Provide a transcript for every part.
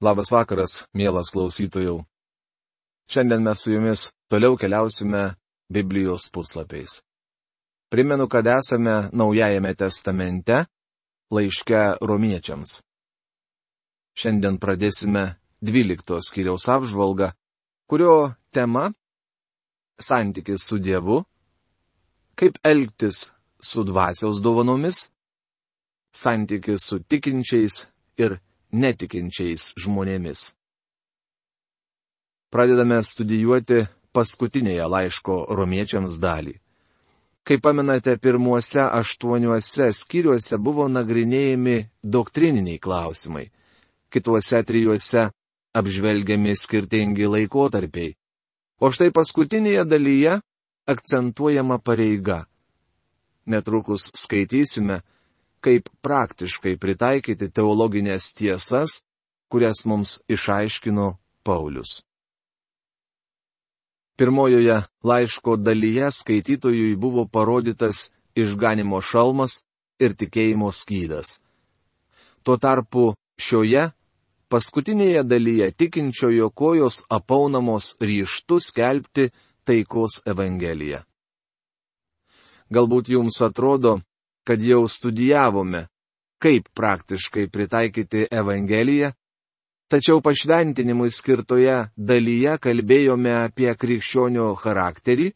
Labas vakaras, mielas klausytojau. Šiandien mes su jumis toliau keliausime Biblijos puslapiais. Primenu, kad esame Naujajame testamente, laiške Romiečiams. Šiandien pradėsime 12 skyriaus apžvalgą, kurio tema - santykis su Dievu, kaip elgtis su dvasios dovanomis, santykis su tikinčiais ir netikinčiais žmonėmis. Pradedame studijuoti paskutinėje laiško Romiečiams dalį. Kaip pamenate, pirmuose 8 skyriuose buvo nagrinėjami doktrininiai klausimai, kituose 3 apžvelgiami skirtingi laikotarpiai, o štai paskutinėje dalyje akcentuojama pareiga. Netrukus skaitysime, kaip praktiškai pritaikyti teologinės tiesas, kurias mums išaiškino Paulius. Pirmojoje laiško dalyje skaitytojui buvo parodytas išganimo šalmas ir tikėjimo skydas. Tuo tarpu šioje paskutinėje dalyje tikinčiojo kojos apaunamos ryžtu skelbti taikos evangeliją. Galbūt jums atrodo, kad jau studijavome, kaip praktiškai pritaikyti Evangeliją, tačiau pašventinimui skirtoje dalyje kalbėjome apie krikščionio charakterį,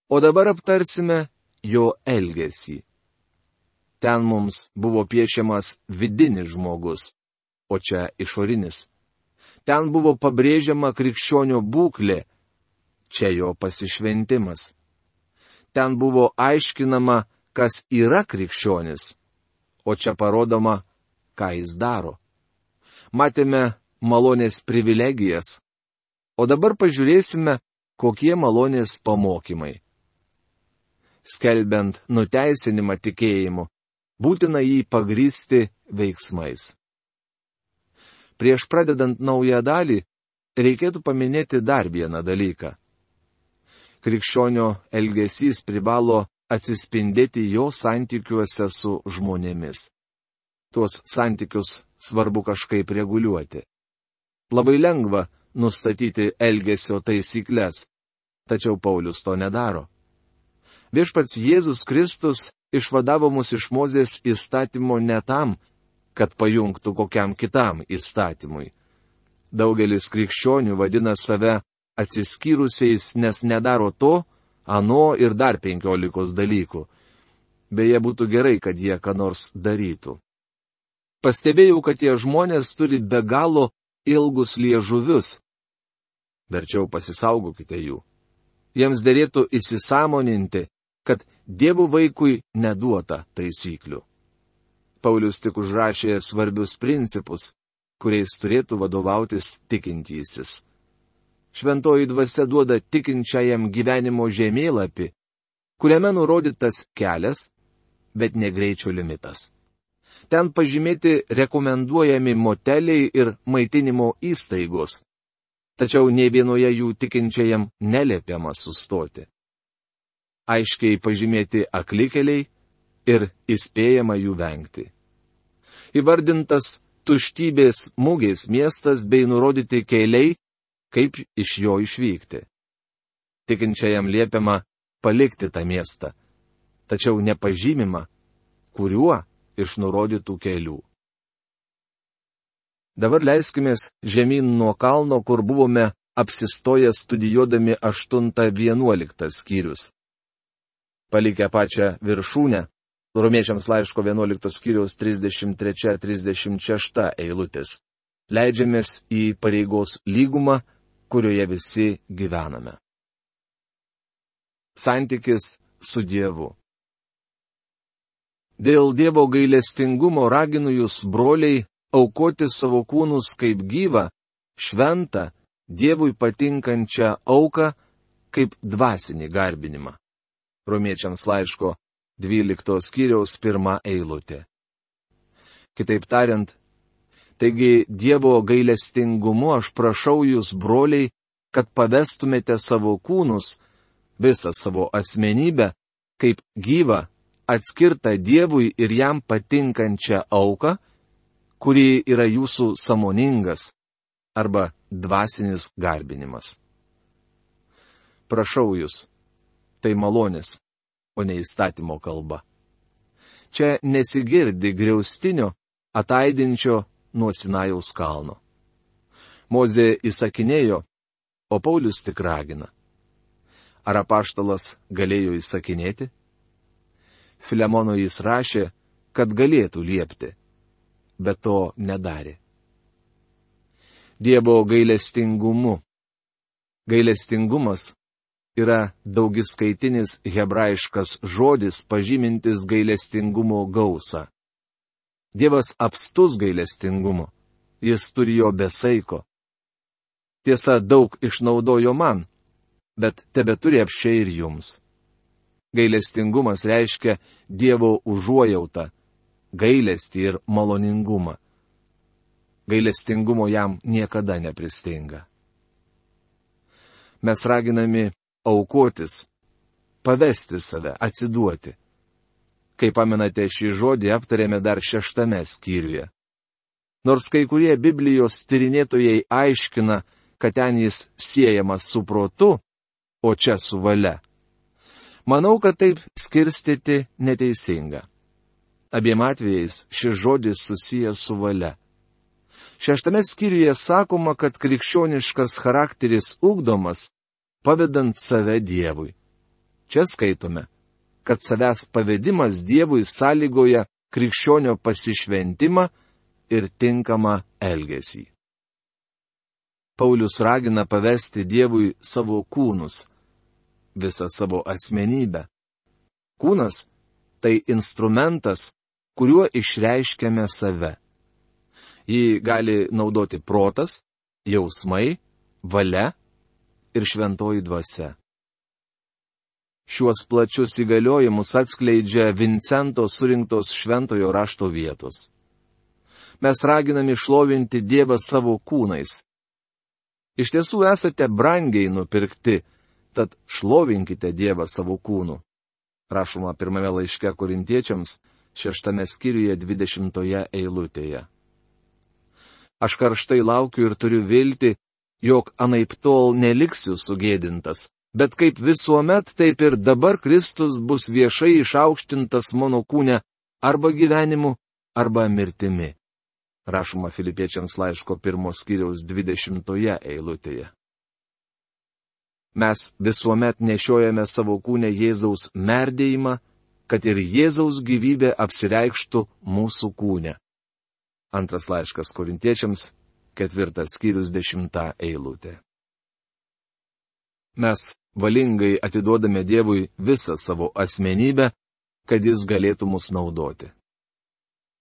o dabar aptarsime jo elgesį. Ten mums buvo piešiamas vidinis žmogus, o čia išorinis. Ten buvo pabrėžiama krikščionio būklė, čia jo pasišventimas. Ten buvo aiškinama, kas yra krikščionis, o čia parodoma, ką jis daro. Matėme malonės privilegijas, o dabar pažiūrėsime, kokie malonės pamokymai. Skelbiant nuteisinimą tikėjimu, būtina jį pagrįsti veiksmais. Prieš pradedant naują dalį, reikėtų paminėti dar vieną dalyką. Krikščionio elgesys privalo atsispindėti jo santykiuose su žmonėmis. Tuos santykius svarbu kažkaip reguliuoti. Labai lengva nustatyti elgesio taisyklės, tačiau Paulius to nedaro. Viešpats Jėzus Kristus išvadavo mus iš Mozės įstatymo ne tam, kad pajungtų kokiam kitam įstatymui. Daugelis krikščionių vadina save atsiskyrusiais, nes nedaro to, ano ir dar 15 dalykų. Beje, būtų gerai, kad jie ką nors darytų. Pastebėjau, kad tie žmonės turi be galo ilgus liežuvius. Verčiau pasisaugokite jų. Jiems derėtų įsisąmoninti, kad Dievo vaikui neduota taisyklių. Paulius tik užrašė svarbius principus, kuriais turėtų vadovautis tikintysis. Šventoji dvasia duoda tikinčiajam gyvenimo žemėlapį, kuriame nurodytas kelias, bet ne greičio limitas. Ten pažymėti rekomenduojami moteliai ir maitinimo įstaigos, tačiau nei vienoje jų tikinčiajam neliepiama sustoti. Aiškiai pažymėti aklikeliai ir įspėjama jų vengti. Įvardintas tuštybės mugės miestas bei nurodyti keliai, kaip iš jo išvykti. Tikinčiajam liepiama palikti tą miestą, tačiau nepažymima, kuriuo iš nurodytų kelių. Dabar leiskimės žemyn nuo kalno, kur buvome apsistoję studijuodami 8-11 skyrius. Palikę pačią viršūnę, Romiečiams laiško 11 skyriaus 33-36 eilutės, leidžiamės į pareigos lygumą, kurioje visi gyvename. Santykis su Dievu. Dėl Dievo gailestingumo raginu jūs, broliai, aukoti savo kūnus kaip gyvą, šventą, Dievui patinkančią auką, kaip dvasinį garbinimą. Romiečiams laiško 12 skyriaus 1 eilutė. Kitaip tariant, taigi Dievo gailestingumu aš prašau jūs, broliai, kad pavestumėte savo kūnus, visą savo asmenybę, kaip gyvą, atskirtą Dievui ir jam patinkančią auką, kuri yra jūsų sąmoningas, arba dvasinis garbinimas. Prašau jūs, tai malonės, o ne įstatymo kalba. Čia nesigirdi griaustinio, ataidinčio nuo Sinajaus kalno. Mozė įsakinėjo, o Paulius tik ragina. Ar apaštalas galėjo įsakinėti? Filemono jis rašė, kad galėtų liepti, bet to nedarė. Dievo gailestingumu. Gailestingumas yra daugiskaitinis hebrajiškas žodis pažymintis gailestingumo gausą. Dievas apstus gailestingumu, jis turi jo be saiko. Tiesa, daug išnaudojo man, bet tebeturi apsčiai ir jums. Gailestingumas reiškia Dievo užuojautą, gailestį ir maloningumą. Gailestingumo jam niekada nepristinga. Mes raginami aukotis, pavesti save, atsiduoti. Kaip pamenate, šį žodį aptarėme dar 6 skyriuje. Nors kai kurie Biblijos tyrinėtojai aiškina, kad ten jis siejamas su protu, o čia su valia. Manau, kad taip skirstyti neteisinga. Abiem atvejais šis žodis susijęs su valia. 6 skyriuje sakoma, kad krikščioniškas charakteris ugdomas, pavedant save Dievui. Čia skaitome, kad savęs pavedimas Dievui sąlygoja krikščionio pasišventimą ir tinkamą elgesį. Paulius ragina pavesti Dievui savo kūnus, visą savo asmenybę. Kūnas – tai instrumentas, kuriuo išreiškiame save. Jį gali naudoti protas, jausmai, valia ir šventoji dvasia. Šiuos plačius įgaliojimus atskleidžia Vincento surinktos šventojo rašto vietos. Mes raginami šlovinti Dievą savo kūnais. Iš tiesų esate brangiai nupirkti, tad šlovinkite Dievą savo kūnu. Rašoma 1 laiške Korintiečiams, 6 skyriuje 20 eilutėje. Aš karštai laukiu ir turiu viltį, jog anaiptol neliksiu sugėdintas, bet kaip visuomet, taip ir dabar Kristus bus viešai išaukštintas mano kūne arba gyvenimu, arba mirtimi. Rašoma Filipiečiams laiško 1 skyriaus 20 eilutėje. Mes visuomet nešiojame savo kūne Jėzaus merdėjimą, kad ir Jėzaus gyvybė apsireikštų mūsų kūne. 2 laiškas Korintiečiams, 4 skyrius 10 eilutė. Mes valingai atiduodame Dievui visą savo asmenybę, kad jis galėtų mus naudoti.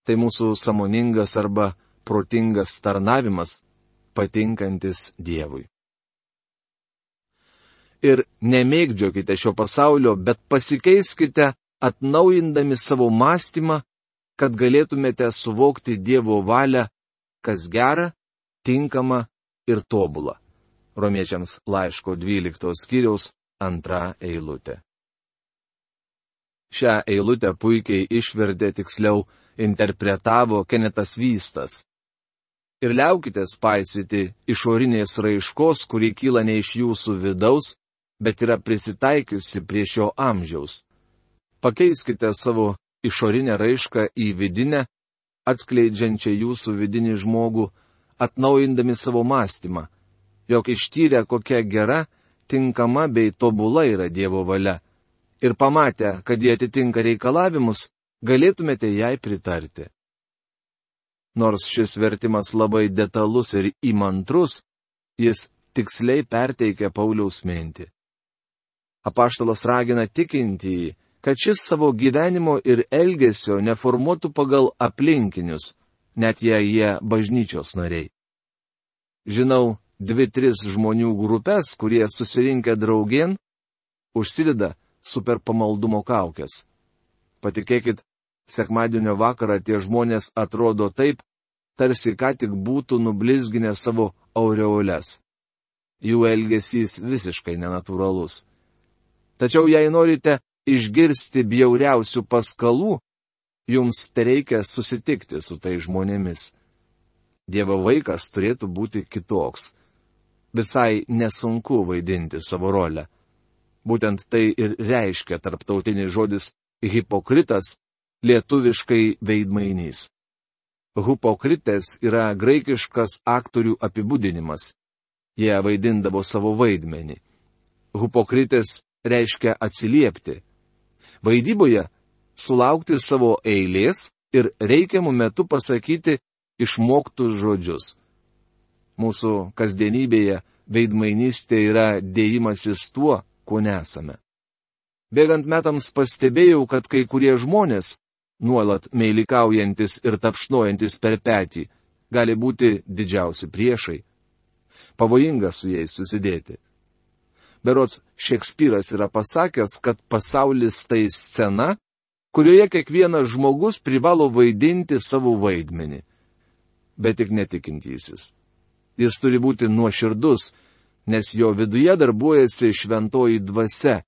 Tai mūsų sąmoningas arba protingas tarnavimas, patinkantis Dievui. Ir nemėgdžiokite šio pasaulio, bet pasikeiskite, atnaujindami savo mąstymą, kad galėtumėte suvokti Dievo valią, kas gera, tinkama ir tobula. Romiečiams laiško 12 skyriaus 2 eilutė. Šią eilutę puikiai išvertė, tiksliau interpretavo Kenetas Vystas. Ir liaukitės paisyti išorinės raiškos, kuri kyla ne iš jūsų vidaus, bet yra prisitaikiusi prie šio amžiaus. Pakeiskite savo išorinę raišką į vidinę, atskleidžiančią jūsų vidinį žmogų, atnaujindami savo mąstymą, jog ištyrę kokia gera, tinkama bei tobula yra Dievo valia, ir pamatę, kad jie atitinka reikalavimus, galėtumėte jai pritarti. Nors šis vertimas labai detalus ir įmantrus, jis tiksliai perteikia Pauliaus mintį. Apaštalas ragina tikintįjį, kad šis savo gyvenimo ir elgesio neformuotų pagal aplinkinius, net jei jie bažnyčios nariai. Žinau 2-3 žmonių grupės, kurie susirinkę draugėn, užsideda super pamaldumo kaukes. Patikėkit, sekmadienio vakarą tie žmonės atrodo taip, tarsi ką tik būtų nublizginę savo aureoles. Jų elgesys visiškai nenatūralus. Tačiau jei norite išgirsti bjauriausių paskalų, jums tereikia susitikti su tai žmonėmis. Dievo vaikas turėtų būti kitoks. Visai nesunku vaidinti savo rolę. Būtent tai ir reiškia tarptautinis žodis hipokritas, lietuviškai veidmainys. Hipokritės yra graikiškas aktorių apibūdinimas. Jie vaidindavo savo vaidmenį. Hipokritės reiškia atsiliepti. Vaidyboje sulaukti savo eilės ir reikiamų metu pasakyti išmoktus žodžius. Mūsų kasdienybėje veidmainystė yra dėjimasis tuo, ko nesame. Bėgant metams pastebėjau, kad kai kurie žmonės, nuolat meilikaujantis ir tapšnojantis per petį, gali būti didžiausi priešai. Pavojinga su jais susidėti. Berods Šekspyras yra pasakęs, kad pasaulis tai scena, kurioje kiekvienas žmogus privalo vaidinti savo vaidmenį. Bet tik netikintysis. Jis turi būti nuoširdus, nes jo viduje darbuojasi šventoji dvasia,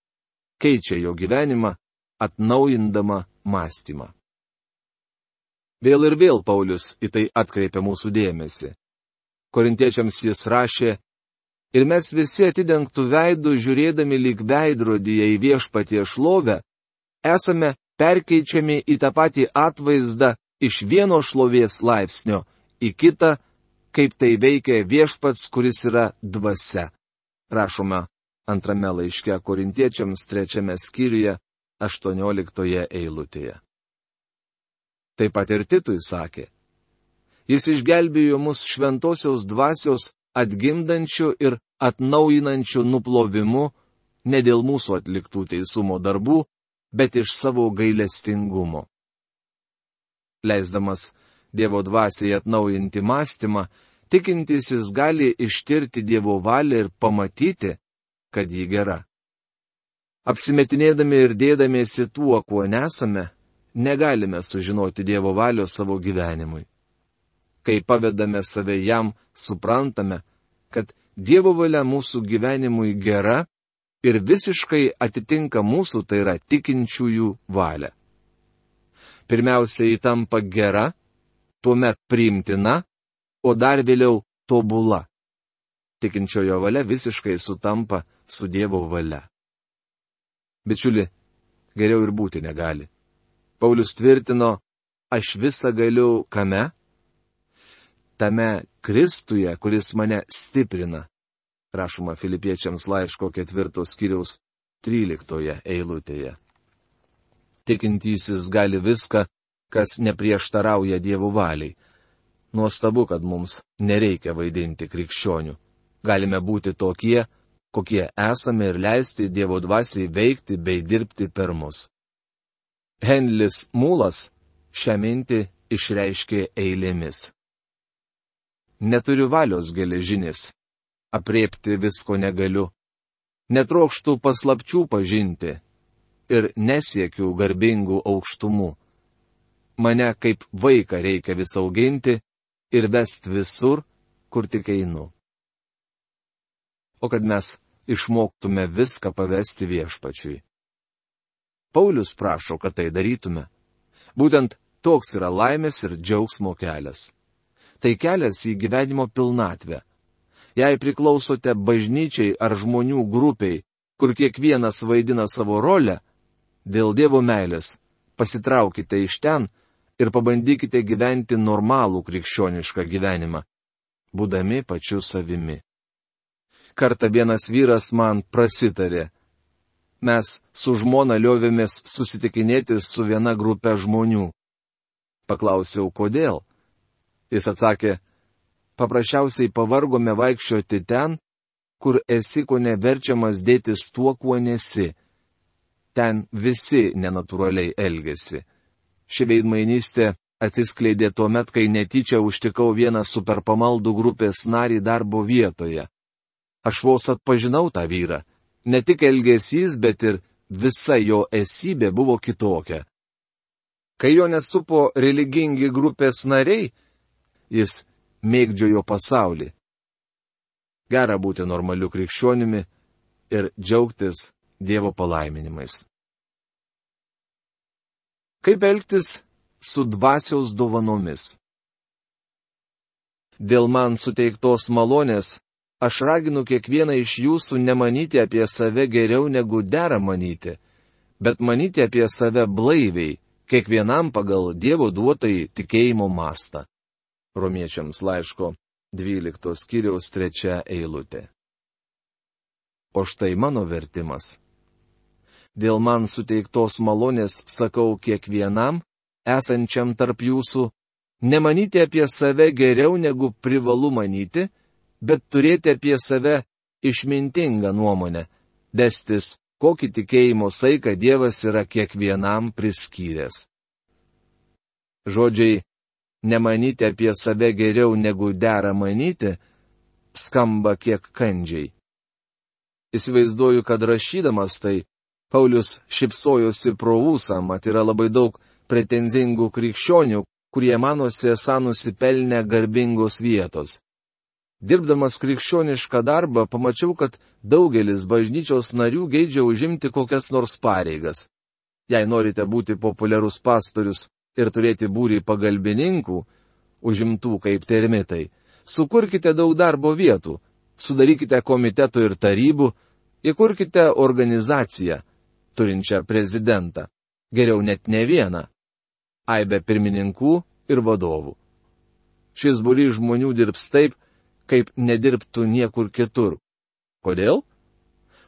keičia jo gyvenimą, atnaujindama mąstymą. Vėl ir vėl Paulius į tai atkreipia mūsų dėmesį. Korintiečiams jis rašė: ir mes visi atidengtų veidų žiūrėdami lyg veidrodyje į viešpatie šlovę, esame perkeičiami į tą patį atvaizdą iš vieno šlovės laipsnio į kitą, kaip tai veikia viešpats, kuris yra dvasia. Rašoma antrame laiške Korintiečiams 3 skyriuje 18 eilutėje. Taip pat ir Titui sakė: jis išgelbėjo mus šventosios dvasios atgimdančių ir atnaujinančių nuplovimu ne dėl mūsų atliktų teisumo darbų, bet iš savo gailestingumo. Leisdamas Dievo dvasiai atnaujinti mąstymą, tikintysis gali ištirti Dievo valią ir pamatyti, kad ji gera. Apsimetinėdami ir dėdamiesi tuo, kuo nesame, negalime sužinoti Dievo valios savo gyvenimui. Kai pavedame save jam, suprantame, kad Dievo valia mūsų gyvenimui gera ir visiškai atitinka mūsų, tai yra tikinčiųjų valią. Pirmiausia, ji tampa gera, tuomet priimtina, o dar vėliau tobula. Tikinčiojo valia visiškai sutampa su Dievo valia. Bičiuli, geriau ir būti negali. Paulius tvirtino: aš visą galiu kame? Tame Kristuje, kuris mane stiprina. Rašoma Filipiečiams laiško 4 skyriaus 13 eilutėje. Tikintysis gali viską, kas neprieštarauja Dievo valiai. Nuostabu, kad mums nereikia vaidinti krikščionių. Galime būti tokie, kokie esame ir leisti Dievo dvasiai veikti bei dirbti per mus. Henlis Mūlas šią mintį išreiškė eilėmis. Neturiu valios geležinis, apriepti visko negaliu, netrokštų paslapčių pažinti ir nesiekiu garbingų aukštumų. Mane kaip vaiką reikia vis auginti ir vesti visur, kur tik einu. O kad mes išmoktume viską pavesti viešpačiui. Paulius prašo, kad tai darytume. Būtent toks yra laimės ir džiaugsmo kelias. Tai kelias į gyvenimo pilnatvę. Jei priklausote bažnyčiai ar žmonių grupiai, kur kiekvienas vaidina savo rolę, dėl Dievo meilės pasitraukite iš ten ir pabandykite gyventi normalų krikščionišką gyvenimą, būdami pačiu savimi. Kartą vienas vyras man prasitarė: mes su žmona liovėmės susitikinėti su viena grupė žmonių. Paklausiau, kodėl? Jis atsakė: paprasčiausiai pavargome vaikščioti ten, kur esi ko neverčiamas dėtis tuo, kuo nesi. Ten visi nenatūraliai elgesi. Ši veidmainystė atsiskleidė tuo met, kai netyčia užtikau vieną superpamaldų grupės narį darbo vietoje. Aš vos atpažinau tą vyrą. Ne tik elgesys, bet ir visa jo esybė buvo kitokia. Kai jo nesupo religingi grupės nariai, jis mėgdžiojo pasaulį. Gera būti normaliu krikščionimi ir džiaugtis Dievo palaiminimais. Kaip elgtis su dvasios dovanomis? Dėl man suteiktos malonės, aš raginu kiekvieną iš jūsų nemanyti apie save geriau negu dera manyti, bet manyti apie save blaiviai, kiekvienam pagal Dievo duotai tikėjimo mastą. Romiečiams laiško 12 skyriaus 3 eilutė. O štai mano vertimas. Dėl man suteiktos malonės sakau kiekvienam, esančiam tarp jūsų, nemanyti apie save geriau negu privalu manyti, bet turėti apie save išmintingą nuomonę, destis, kokį tikėjimo saiką Dievas yra kiekvienam priskyręs. Žodžiai nemanyti apie save geriau negu dera manyti skamba kiek kandžiai. Įsivaizduoju, kad rašydamas tai, Paulius šipsojosi pro ūsą, mat yra labai daug pretenzingų krikščionių, kurie manosi esą nusipelnę garbingos vietos. Dirbdamas krikščionišką darbą, pamačiau, kad daugelis bažnyčios narių geidžia užimti kokias nors pareigas. Jei norite būti populiarus pastorius ir turėti būrį pagalbininkų, užimtų kaip termitai, sukurkite daug darbo vietų, sudarykite komitetų ir tarybų, įkurkite organizaciją, turinčią prezidentą, geriau net ne vieną, aibę pirmininkų ir vadovų. Šis būrys žmonių dirbs taip, kaip nedirbtų niekur kitur. Kodėl?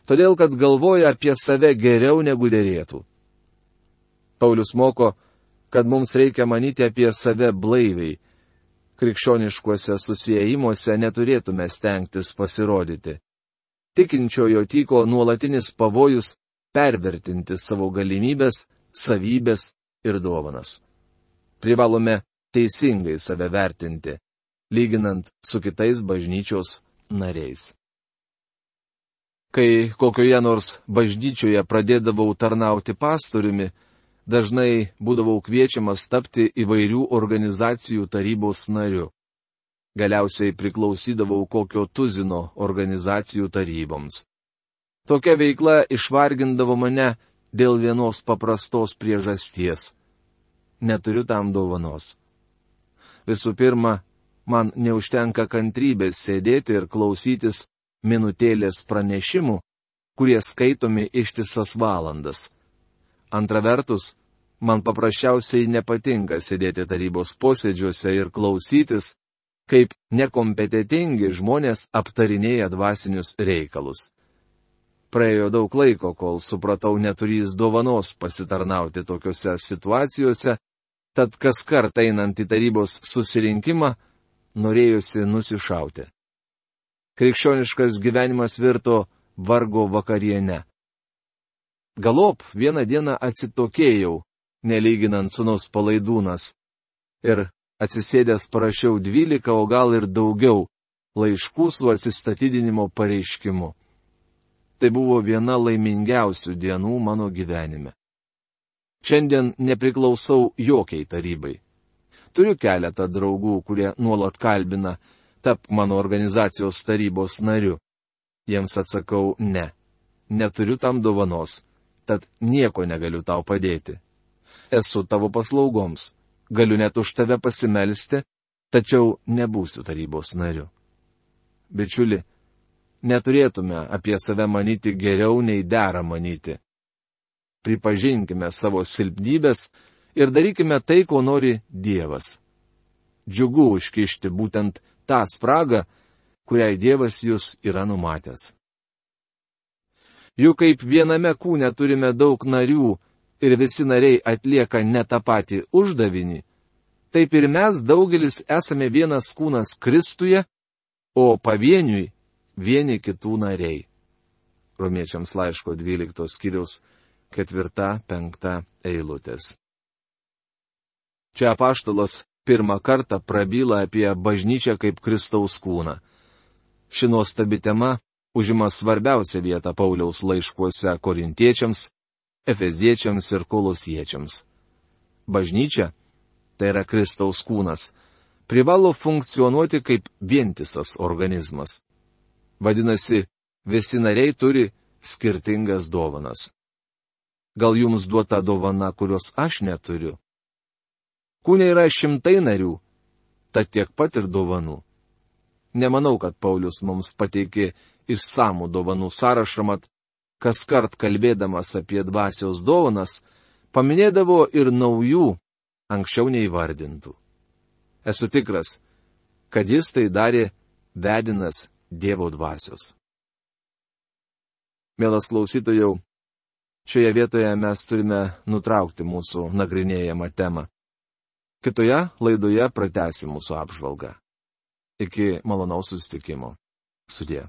Todėl, kad galvoja apie save geriau negu derėtų. Paulius moko, kad mums reikia manyti apie save blaiviai. Krikščioniškuose susiėjimuose neturėtume stengtis pasirodyti. Tikinčiojo tyko nuolatinis pavojus pervertinti savo galimybės, savybės ir dovanas. Privalome teisingai save vertinti, lyginant su kitais bažnyčios nariais. Kai kokioje nors bažnyčioje pradėdavau tarnauti pastoriumi, dažnai būdavau kviečiamas tapti įvairių organizacijų tarybos nariu. Galiausiai priklausydavau kokio tuzino organizacijų taryboms. Tokia veikla išvargindavo mane dėl vienos paprastos priežasties. Neturiu tam dovanos. Visų pirma, man neužtenka kantrybės sėdėti ir klausytis minutėlės pranešimų, kurie skaitomi ištisas valandas. Antra vertus, man paprasčiausiai nepatinka sėdėti tarybos posėdžiuose ir klausytis, kaip nekompetentingi žmonės aptarinėja dvasinius reikalus. Praėjo daug laiko, kol supratau neturys dovanos pasitarnauti tokiuose situacijose, tad kas kart einant į tarybos susirinkimą, norėjosi nusišauti. Krikščioniškas gyvenimas virto vargo vakariene. Galop vieną dieną atsitokėjau, nelyginant sūnus Palaidūnas, ir atsisėdęs parašiau 12, o gal ir daugiau, laiškų su atsistatydinimo pareiškimu. Tai buvo viena laimingiausių dienų mano gyvenime. Šiandien nepriklausau jokiai tarybai. Turiu keletą draugų, kurie nuolat kalbina, tapk mano organizacijos tarybos nariu. Jiems atsakau ne. Neturiu tam dovanos, tad nieko negaliu tau padėti. Esu tavo paslaugoms, galiu net už tave pasimelsti, tačiau nebūsiu tarybos nariu. Bičiuli, neturėtume apie save manyti geriau nei dera manyti. Pripažinkime savo silpnybės ir darykime tai, ko nori Dievas. Džiugu užkišti būtent tą spragą, kuriai Dievas jūs yra numatęs. Juk kaip viename kūne turime daug narių ir visi nariai atlieka ne tą patį uždavinį, taip ir mes daugelis esame vienas kūnas Kristuje, o pavieniui vieni kitų nariai. Romiečiams laiško 12 skyriaus 4-5 eilutės. Čia apaštalas pirmą kartą prabyla apie bažnyčią kaip Kristaus kūną. Ši nuostabi tema užima svarbiausią vietą Pauliaus laiškuose korintiečiams, efeziečiams ir kolosiečiams. Bažnyčia, tai yra Kristaus kūnas, privalo funkcionuoti kaip vientisas organizmas. Vadinasi, visi nariai turi skirtingas dovanas. Gal jums duota dovana, kurios aš neturiu? Kūne yra šimtai narių, tad tiek pat ir dovanų. Nemanau, kad Paulius mums pateikė išsamų dovanų sąrašą, mat kas kart kalbėdamas apie dvasios dovanas, paminėdavo ir naujų, anksčiau neįvardintų. Esu tikras, kad jis tai darė vedinas Dievo dvasios. Mielas klausytojau, šioje vietoje mes turime nutraukti mūsų nagrinėjamą temą. Kitoje laidoje pratęsim mūsų apžvalgą. Iki malonaus susitikimo. Sudie.